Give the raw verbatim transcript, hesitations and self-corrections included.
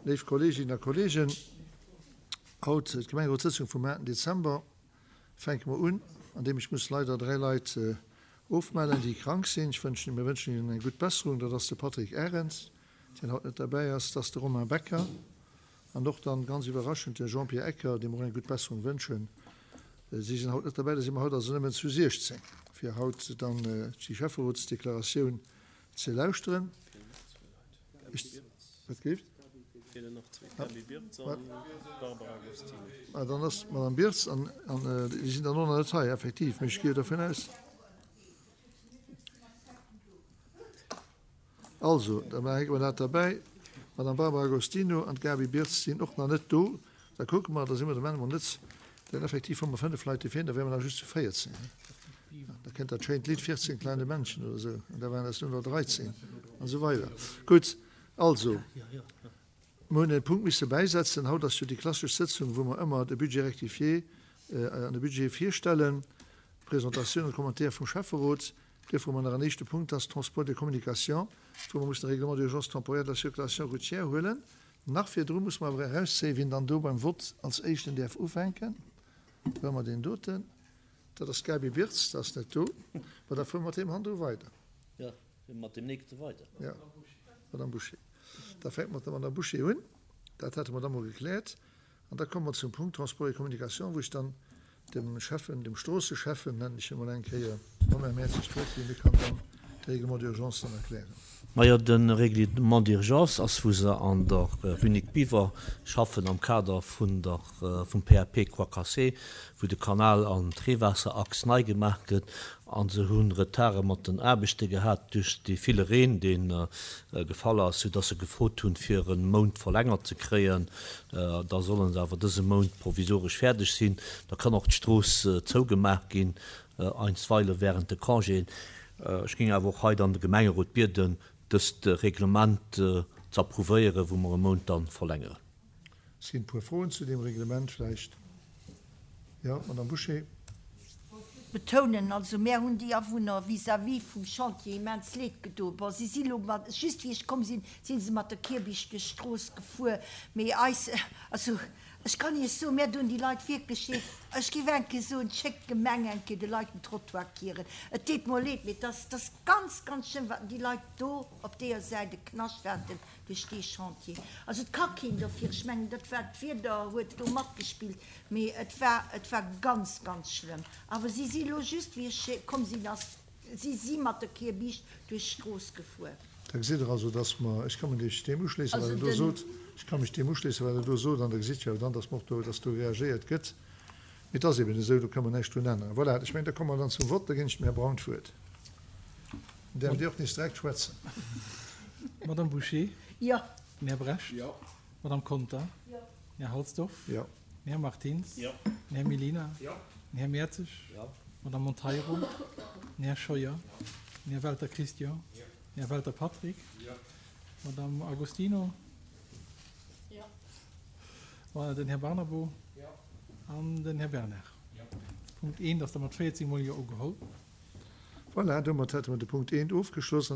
Léif Kolleeginnen a Kolleegen, haut d'Gemengerotssëtzung vum aachten Dezember fänke mer un, andeem ech muss leider dräi Leit ofmellen, déi krank sinn. Ech wënschen, mir wënschen hinnen eng gutt Besserung. Dat ass de Patrick Arendt, deen haut net derbäi ass, dat ass de Romain Becker an och dann ganz iwwerraschend de Jean-Pierre Ecker, deem mer och eng gutt Besserung wënschen. Si sinn haut net derbäi, da si mer haut also nëmmen zu siechzéng, fir haut dann déi Schäfferotsdeklaratioun ze lauschteren. Ech, wat géift? Feelen nach zwee, d'Gaby Birtz an d'Barbara Agostino. Ah, dann ass d'Madame Birtz an, an déi sinn dann och nach net hei, effektiv, mee ech gehe dervun aus. Also, da hänke mer dat derbäi. D'Madame Barbara Agostino an d'Gaby Birtz sinn och nach net do. Da kucke mer, da si mer dem Enn emol net, denn effektiv hu mer fënnef Leit, déi feelen, da wäre mer nach just zu véierzéng. Da kënnt dat schéint Lidd Vierzehn kleine Männchen oder esou, an da waren es nur noch dreizehn an esou weider. Gutt, also, mer hunn e Punkt misse bäisetzen. Haut ass jo déi klassesch Sëtzung, wou mer ëmmer de Budget rectifié an de Budget virstellen, d'Presentatioun an d'Commentaire vum Schäfferot. Duerfir hu mer nach en éischte Punkt, dat ass Transport et Communication, wou mer mussen de Règlement d'urgence temporaire de la circulation routière huelen. Nach virdru muss mer awer erauszéien, wien dann do beim Vott als Éischten däerf ufänken. Do hu mer deen doten. Dat ass d'Gaby Birtz, dat ass net do. Ma da fuere mer mat deem hannendru weider. Jo, mat deem nächste weider. Jo, Madame Bouché. Da fänke mer mat der Madame Bouché un. Dat hate mer da mol gekläert. An da komme mer zum Punkt Transport et Communication, wou ech dann dem Schäffen, dem Stroosseschäffen, nennen ech hie mol eng Kéier, Romain Mertzig d'Wuert ginn. Dee kann dann de Règlement d'urgence dann erklären. Majo, de Règlement d'urgence ass, wou se an der Rue Nic Biver schaffen am Kader vun der, vum P A P Croix Cassée, wou de Kanal an d'Reewaasserachs nei gemaach gëtt. A se hu Retarde mat den Aarbechte gehat duerch dee ville Reen, dee gefall ass, soudass se gefrot hunn, fir e Mount verlängert ze kréien. Da solle se awer dëse Mount provisoresch fäerdeg sinn. Da kann och d'Strooss zougemaach ginn, einstweile während de Congéen. Ech géing awer och hei dann de Gemengerot bieden, dëst Reglement ze approuvéieren, wou mer e Mount dann verlängeren. Et sinn e puer Froen zu deem Reglement vläicht. Jo, Madame Bouché. Betounen, also mär hunn déi Awunner vis-à-vis vum Chantier immens Leed gedoen. Bon, si si lo mat, just wéi ech komm sinn, si se mat der Kierbicht duerch d'Strooss gefuer, mee eis, also ech kann Iech soen, mär doen déi Leit wierklech leed. Ech géif eng Kéier soen, schéckt d'Gemeng eng Kéier de Leit den Trottoir kieren. Et deet mer leed, mee et ass, et ass ganz, ganz schlëmm, wat déi Leit do op deeër Säit e Knascht haten duerch dee Chantier. Also et ka keen dofir, ech mengen, dat war, d'Wieder huet do matgespillt, mee et war, et war ganz, ganz schlëmm. Awer si si lo just, wéi ech komm sinn, ass, si si mat der Kierbiischt duerch d'Strooss gefuer. Da gesitt Der also, dass mer, ech ka mech deem uschléissen, wat Also Der do den. sot, ech ka mech deem uschléissen, wat Der do sot, an da gesitt Der jo dann, dass mer och do, dass do reagéiert gëtt. Mee et ass eben esou, do ka mer näischt drun änneren. Voilà, ech mengen, da komme mer dann zum Vott. Da ginn ech dem Här Braun d'Wuert. Dann däerft Dir och nees direkt schwätzen. Madame Bouché. Jo. Den Här Brecht. Jo. Madame Conter. Jo. Den Här Halsdorf. Jo. Den Här Martins. Jo. Den Här Mellina. Jo. Den Här Mertzig. Jo. Madame Monteiro. Den Här Scheuer. Den Här Welter Christian. Jo. Den Här Welter Patrick. Jo. Madame Agostino. Jo. Den Här Barnabo. Jo. An den Här Bernard. Jo. Punkt eent ass da mat véierzéng mol Jo ugeholl. Voilà, domat hätte mer de Punkt eent ofgeschloss.